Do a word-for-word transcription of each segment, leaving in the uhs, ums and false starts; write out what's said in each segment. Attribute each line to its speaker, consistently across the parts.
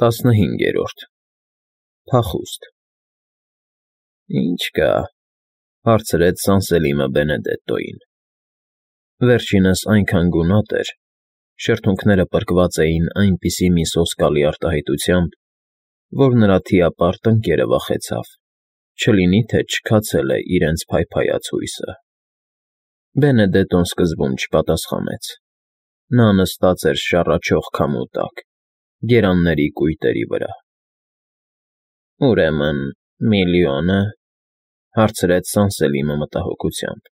Speaker 1: Տասնհինգերորդ Փախուստ Ինչ կա, հարցրեց Սանսելիմը Բենեդետտոյին. վերջինս այնքան գունատ էր, շրթունքները պրկված էին այնպիսի մի սոսկալի արտահայտությամբ, որ նրա թիապարտ ընկերը վախեցավ, չլինի թե չքացել է իրենց փայփայած հույսը։ Բենեդետտոն սկզբում չպատասխանեց. նա նստած էր շառաչող քամու տակ, գերանների կույտերի վրա։ Ուրեմն միլիո՞նը,֊ հարցրեց Սանսելիմը մտահոգությամբ։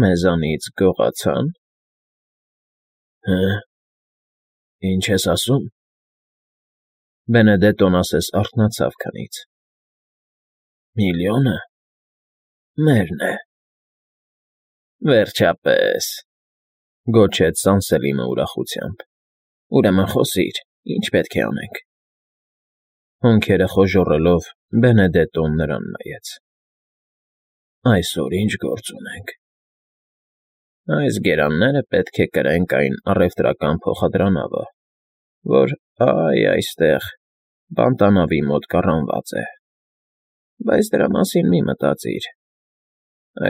Speaker 1: Մեզանից գողացա՞ն։ Հը՞, ինչ ես ասում։ Բենեդետտոն ասես արթնացավ քնից։ Միլիո՞նը մերն է։ Վերջապես,֊ գոչեց Սանսելիմը ուրախությամբ։ Ուրեմն խոսիր, ինչ պետք է անենք։ Հոնքերը խոժոռելով, Բենեդետտոն նրան նայեց։ Այսօր ինչ գործ ունենք։ Այս գերանները պետք է կրենք այն առևտրական փոխադրանավը, որ այ այստեղ բանտանավի մոտ կառանված է, բայց դրա մասին մի մտածիր,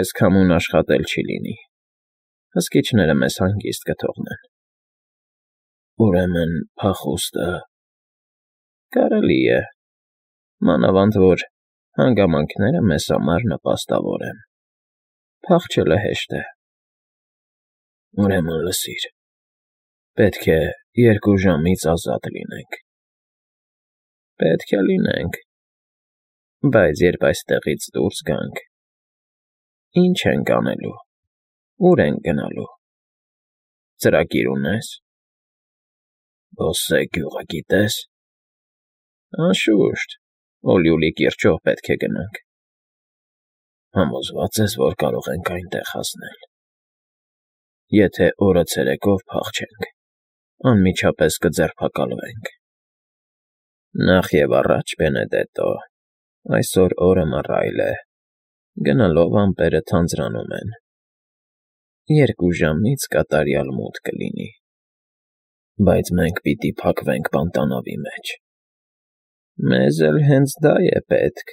Speaker 1: այս քամուն աշխատել չի լինի, հսկիչները մեզ հանգիստ կթողնեն։ Ուրեմն փախուստը… Կարելի է, մանավանդ որ հանգամանքները մեզ համար նպաստավոր են, փախչելը հեշտ է։ Ուրեմն լսիր, պետք է երկու ժամից ազատ լինենք։ Պետք է լինենք, բայց երբ այստեղից դուրս գանք, ի՞նչ ենք անելու, ուր ենք գնալու։ Ծրագիր ունե՞ս։ Բոսե գյուղը գիտե՞ս։ Անշուշտ, Օլիուլի կիրճով պետք է գնանք։ Համոզվա՞ծ ես, որ կարող ենք այնտեղ հասնել։ Եթե օրը ցերեկով փախչենք, անմիջապես կձերբակալվենք։ Նախ և առաջ, Բենեդետտո, այսօր օրը մռայլ է, գնալով ամպերը թանձրանում են։ Երկու ժամից կատարյալ մութ կլինի։ Բայց մենք պիտի փակվենք բանտանավի մեջ։ Մեզ էլ հենց դա է պետք,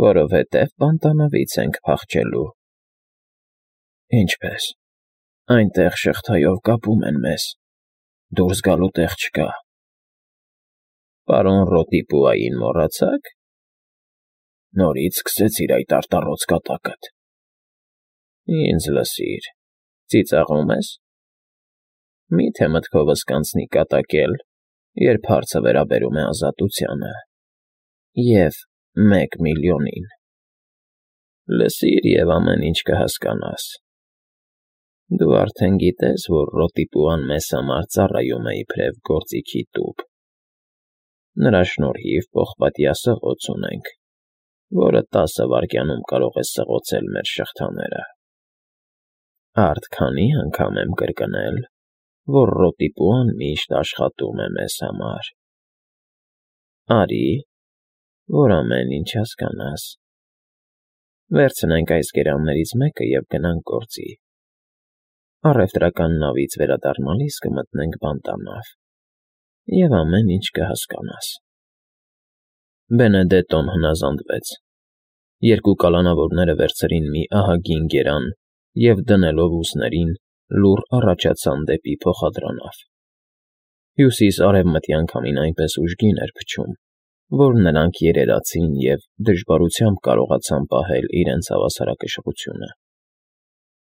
Speaker 1: որովհետև բանտանավից ենք փախչելու։ Ինչպե՞ս, այնտեղ շղթայով կապում են մեզ, դուրս գալու տեղ չկա։ Պարոն Ռոտիպուային մոռացա՞ք։ Նորից սկսեցիր այդ արտառոց կատակդ։ Ինձ լսիր, ծիծաղո՞ւմ ես։ Մի՞թե մտքովս կանցնի կատակել, երբ հարցը վերաբերում է ազատությանը և մեկ միլիոնին։ Լսիր և ամեն ինչ կհասկանաս։ Դու արդեն գիտես, որ Ռոտիպուան մեզ համար ծառայում է իբրև գործիքի տուփ։ Նրա շնորհիվ պողպատյա սղոց ունենք, որը տասը վայրկյանում կարող է սղոցել մեր շղթաները։ Արդ քանի՞ անգամ եմ կրկնել, որ Ռոտիպուան միշտ աշխատում է մեզ համար։ Արի, որ ամեն ինչ հասկանաս։ Վերցնենք այս գերաններից մեկը և գնանք գործի։ Առևտրական նավից վերադառնալիս կմտնենք բանտանավ, և ամեն ինչ կհասկանաս։ Բենեդետտոն հնազանդվեց։ Երկու կալանավորները վերցրին մի ահագին գերան և դնելով ուսներին, լուռ առաջացան դեպի փոխադրանավ։ Հյուսիս֊արևմտյան քամին այնպես ուժգին էր փչում, որ նրանք երերացին և դժվարությամբ կարողացան պահել իրենց հավասարակշռությունը։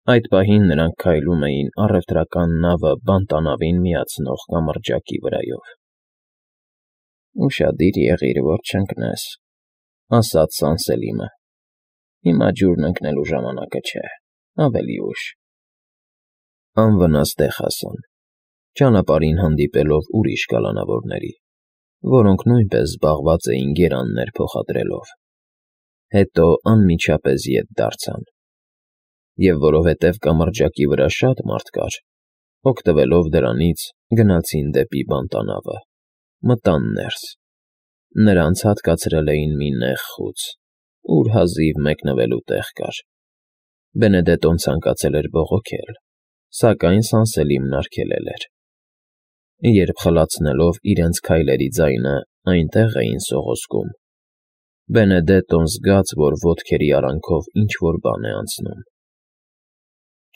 Speaker 1: Այդ պահին նրանք քայլում էին առևտրական նավը բանտանավին միացնող կամրջակի վրայով։ Ուշադիր եղիր, որ չընկնես,֊ ասաց Սանսելիմը։ Հիմա ջուրն ընկնելու ժամանակը չէ, ավելի ուշ։ Անվնաս տեղ հասան, ճանապարհին հանդիպելով ուրիշ կալանավորների, որոնք նույնպես զբաղված էին գերաններ փոխադրելով։ Հետո անմիջապես ետ դարձան։ Եվ որովհետև կամրջակի վրա շատ մարդ կար, օգտվելով դրանից, գնացին դեպի բանտանավը, մտան ներս։ Նրանց հատկացրել էին մի նեղ խուց, ուր հազիվ մեկնվելու տեղ կար։ Բենեդետտոն ցանկացել էր բողոքել, սակայն Սանսելիմն արգելել էր։ երբ խլացնելով իրենց քայլերի ձայնը այնտեղ էին սողոսկում, Բենեդետոն զգաց, որ ոտքերի արանքով ինչ-որ բան է անցնում։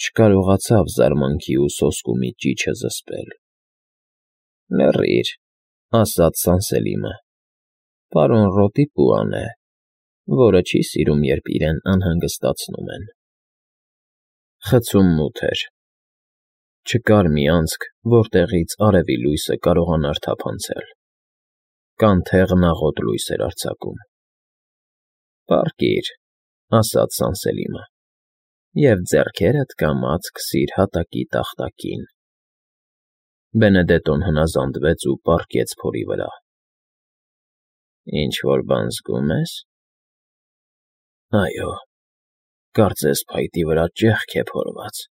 Speaker 1: Չկարողացավ զարմանքի ու սոսկումի ճիչը զսպել։ ֊ Լռիր, ֊ ասաց Սանսելիմը, ֊ պարոն Ռոտիպուան է, որը չի սիրում, երբ իրեն անհանգստացնում են։ Խցում մութ էր։ Չկար մի անցք, որտեղից արևի լույսը կարողանար թափանցել։ Կանթեղն աղոտ լույս էր արձակում։ ֊ Պառկիր, ֊ ասաց Սանսելիմը, ֊ և ձեռքերդ կամաց քսիր հատակի տախտակին։ Բենեդետոն հնազանդվեց ու պառկեց փորի վրա։ ֊ Ինչ֊որ բան զգո՞ւմ ես։ ֊ Այո, կարծես փայտի վրա ճեղք է փորված։ ֊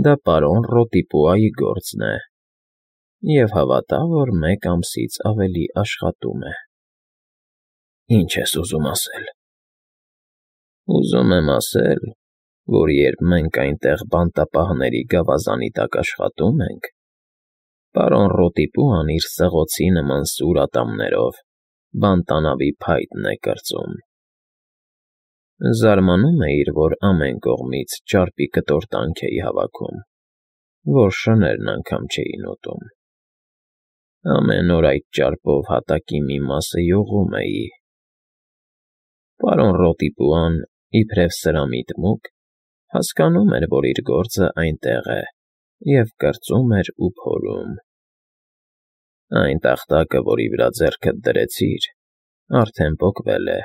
Speaker 1: Դա պարոն Ռոտիպուայի գործն է, և հավատա, որ մեկ ամսից ավելի աշխատում է։ ֊ Ի՞նչ ես ուզում ասել։ ֊ Ուզում եմ ասել, որ երբ մենք այնտեղ բանտապահների գավազանի տակ աշխատում ենք, պարոն Ռոտիպուան իր սղոցի նման սուր ատամներով բանտանավի փայտն է կրծում։ Զարմանում էիր, որ ամեն կողմից ճարպի կտորտանք էի հավաքում, որ շներն անգամ չէին ուտում։ Ամեն օր այդ ճարպով հատակի մի մասը յուղում էի։ Պարոն Ռոտիպուան, իբրև սրամիտ մուկ, հասկանում էր, որ իր գործը այնտեղ է, և կրծում էր ու փորում։ Այն տախտակը, որի վրա ձեռքդ դրեցիր, արդեն պոկվել է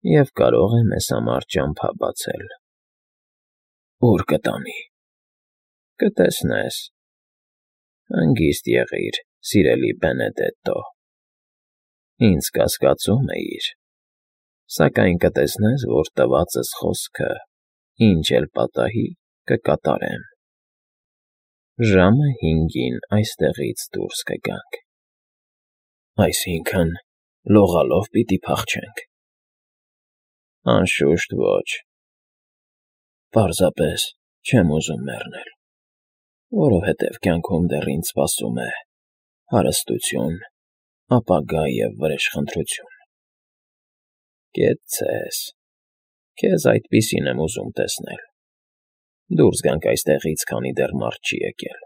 Speaker 1: և կարող է մեզ համար ճամփա բացել։ ֊ Ո՞ւր կտանի։ ֊ Կտեսնես։ Հանգիստ եղիր, սիրելի Բենեդետտո, ինձ կասկածում էիր, սակայն կտեսնես, որ տվածս խոսքը, ինչ էլ պատահի, կկատարեմ։ Ժամը հինգին այստեղից դուրս կգանք։ ֊ Այսինքն՝ լողալով պիտի փախչենք։ ֊ Անշուշտ ոչ։ Պարզապես չեմ ուզում մեռնել, որովհետև կյանքում դեռ ինձ սպասում է հարստություն, ապագա և վրեժխնդրություն։ Կեցցես, քեզ այդպիսին եմ ուզում տեսնել։ Դուրս գանք այստեղից, քանի դեռ մարդ չի եկել։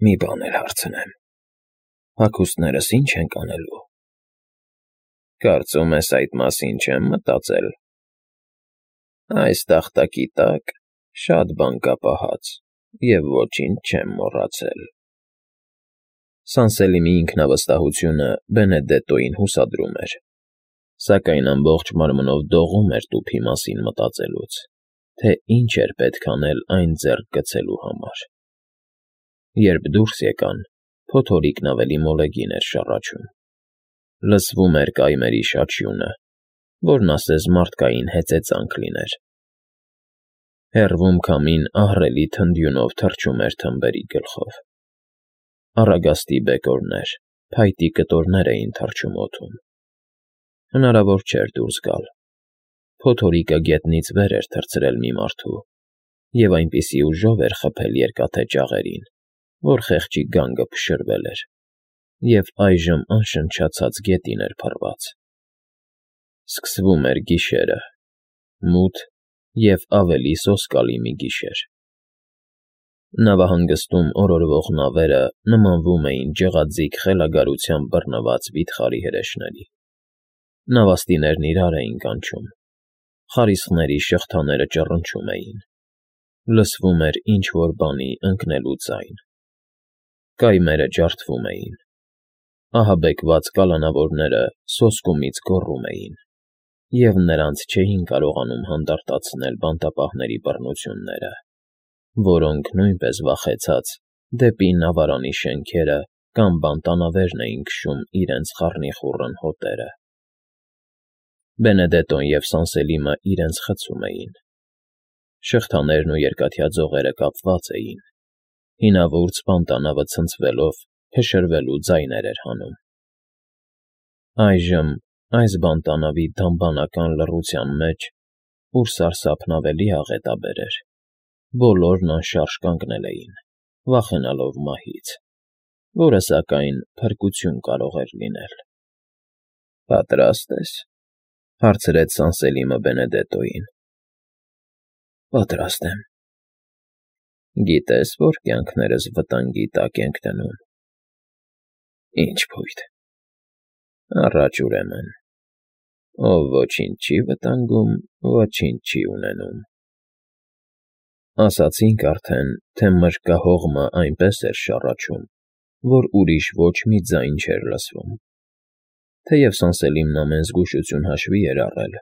Speaker 1: Մի բան էլ հարցնեմ. հագուստներս ի՞նչ ենք անելու։ Կարծում ես այդ մասին չեմ մտածել։ Այս տախտակի տակ շատ բան կա պահած, և ոչինչ չեմ մոռացել։ Սանսելիմի ինքնավստահությունը Բենեդետտոյին հուսադրում էր, սակայն ամբողջ մարմնով դողում էր տուփի մասին մտածելուց, թե ինչ էր պետք անել այն ձեռք գցելու համար։ Երբ դուրս եկան, փոթորիկն ավելի մոլեգին էր շառաչում։ Լսվում էր կայմերի շաչյունը, որն ասես մարդկային հեծեծանք լիներ։ Հեռվում քամին ահռելի թնդյունով թռչում էր թմբերի գլխով։ Առագաստի բեկորներ, փայտի կտորներ էին թռչում օդում։ Հնարավոր չէր դուրս գալ։ Փոթորիկը գետնից վեր էր թռցրել մի մարդու, և այնպիսի ուժով էր խփել երկաթե ճաղերին, որ խեղճի գանգը փշրվել էր, և այժմ անշնչացած գետին էր փռված։ Սկսվում էր գիշերը, մութ և ավելի սոսկալի մի գիշեր։ Նավահանգստում օրորվող նավերը նմանվում էին ջղաձիգ խելագարությամբ բռնված վիթխարի հրեշների։ Նավաստիներն իրար էին կանչում, խարիսխների շղթաները ճռնչում էին, լսվում էր ինչ֊որ բանի ընկնելու ձայն։ Կայմերը ջարդվում էին։ Ահաբեկված կալանավորները սոսկումից գոռում էին, և նրանց չէին կարողանում հանդարտացնել բանտապահների բռնությունները, որոնք, նույնպես վախեցած, դեպի նավարանի շենքերը կամ բանտանավերն էին քշում իրենց խառնիխուռն հոտերը։ Բենեդետտոն և Սանսելիմը իրենց խցում էին։ Շղթաներն ու երկաթյա ձողերը կապված էին, հինավուրց բանտանավը ցնցվելով փշրվելու ձայներ էր հանում։ Այժմ այս բանտանավի դամբանական լռության մեջ, ուր սարսափն ավելի աղետաբեր էր, բոլորն անշարժ կանգնել էին, վախենալով մահից, որը, սակայն, փրկություն կարող էր լինել։ ֊ Պատրա՞ստ ես,֊ հարցրեց Սանսելիմը Բենեդետոյին։ ֊ Պատրաստ եմ։ ֊ Գիտե՞ս, որ կյանքներս վտանգի տակ ենք դնում։ ֊ Ի՞նչ փույթ։ ֊ Առաջ, ուրեմն, ով ոչինչ չի վտանգում, ոչինչ չի ունենում։ Ասացինք արդեն, թե մրրկահողմը այնպես էր շառաչում, որ ուրիշ ոչ մի ձայն չէր լսվում. թեև Սանսելիմն ամեն զգուշություն հաշվի էր առել,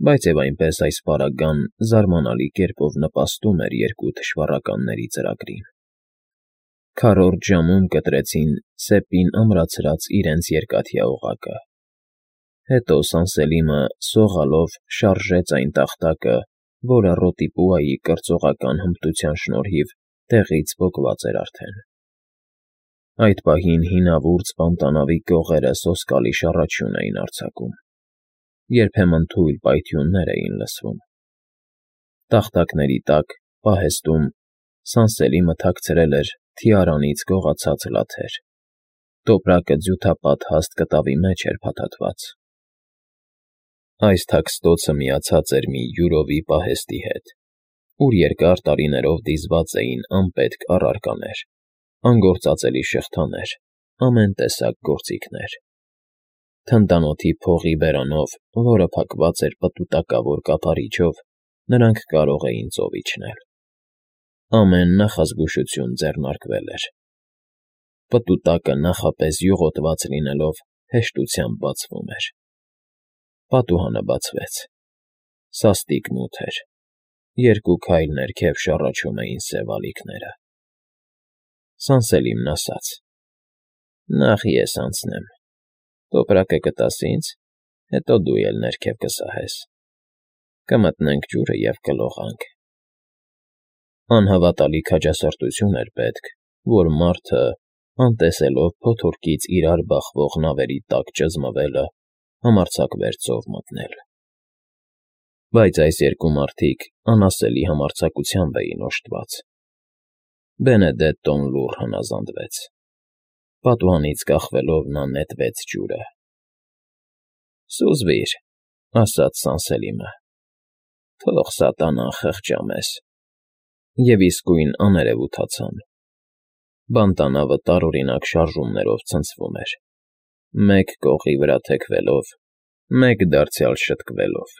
Speaker 1: բայց և այնպես այս պարագան զարմանալի կերպով նպաստում էր երկու թշվառականների ծրագրին։ Քառորդ ժամում կտրեցին սեպին ամրացրած իրենց երկաթյա օղակը։ Հետո Սանսելիմը սողալով շարժեց այն տախտակը, որը Ռոտիպուայի կրծողական հմտության շնորհիվ տեղից պոկված էր արդեն։ Այդ պահին հինավուրց պանտանավի կողերը սոսկալի շառաչյուն էին արձակում, երբեմն թույլ պայթյուններ էին լսվում։ Տախտակների տակ, պահեստում, Սանսելիմը թաքցրել էր թիարանից գողացած լաթեր, տոպրակը ձյութապատ հաստ կտավի մեջ էր փաթաթված։ Այս թաքստոցը միացած էր մի յուրովի պահեստի հետ, ուր երկար տարիներով դիզված էին անպետք առարկաներ, անգործածելի շղթաներ, ամեն տեսակ գործիքներ։ Թնդանոթի փողի բերանով, որը փակված էր պտուտակավոր կափարիչով, նրանք կարող էին ծով իջնել։ Ամեն նախազգուշություն ձեռնարկվել էր։ Պտուտակը նախապես յուղոտված լինելով հեշտությամբ բացվում էր։ Պատուհանը բացվեց։ Սաստիկ մութ էր։ Երկու քայլ ներքև շառաչում էին սև ալիքները։ Սանսելիմն ասաց. «Նախ ես անցնեմ, տոպրակը կտաս ինձ, հետո դու էլ ներքև կսահես։ Կմտնենք ջուրը և կլողանք»։ Անհավատալի քաջասրտություն էր պետք, որ մարդը, անտեսելով փոթորկից իրար բախվող նավերի տակ ճզմվելը, համարձակվեր ծով մտնել։ Բայց այս երկու մարդիկ անասելի համարձակությամբ էին օժտված։ Բենեդետտոն լուռ հնազանդվեց։ Պատուհանից կախվելով նա նետվեց ջուրը։ «Սուզվիր,֊ ասաց Սանսելիմը,֊ թող սատանան խղճա մեզ»։ Եվ իսկույն աներևութացան։ Բանտանավը տարօրինակ շարժումներով ցնցվում էր, մեկ կողի վրա թեքվելով, մեկ դարձյալ շտկվելով։